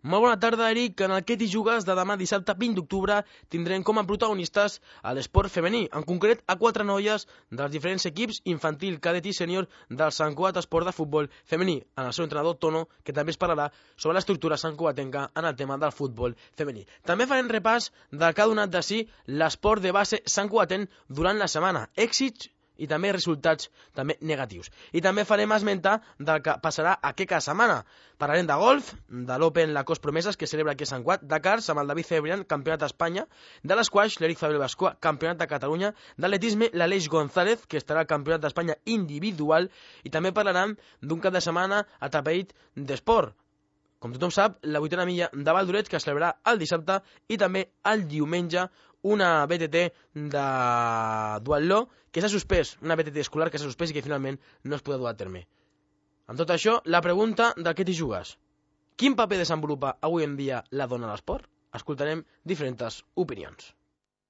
Molt bona tarda, Eric. En el Què t'hi jugues de demà dissabte 20 d'octubre tindrem com a protagonistes a l'esport femení, en concret a 4 noies dels diferents equips infantil, cadet i sènior del Sant Cugat Esport de Futbol Femení, en el seu entrenador Tono, que també es parlarà sobre l'estructura santcugatenca en el tema del futbol femení. També farem repàs del que ha donat de si l'esport de base santcugatent durant la setmana, èxits i també resultats també negatius. I també farem esmentar del que passarà aquesta setmana. Parlarem de golf, de l'Open Lacoste Promeses, que celebra aquí a Sant Cugat, de karts amb el David Cebrián, campionat d'Espanya, de l'esquaix, l'Eric Fabril Bascoa, campionat de Catalunya, de l'atletisme, l'Aleix González, que estarà al campionat d'Espanya individual, i també parlarem d'un cap de setmana atapeït d'esport. Com tothom sap, la 8a milla de Valdoret, que es celebrarà el dissabte, i també el diumenge una BTT de duatló que s'ha suspès, una BTT escolar que s'ha suspès i que finalment no es podrà dur a terme. Amb tot això, la pregunta de què t'hi jugues. Quin paper desenvolupa avui en dia la dona a l'esport? Escoltarem diferents opinions.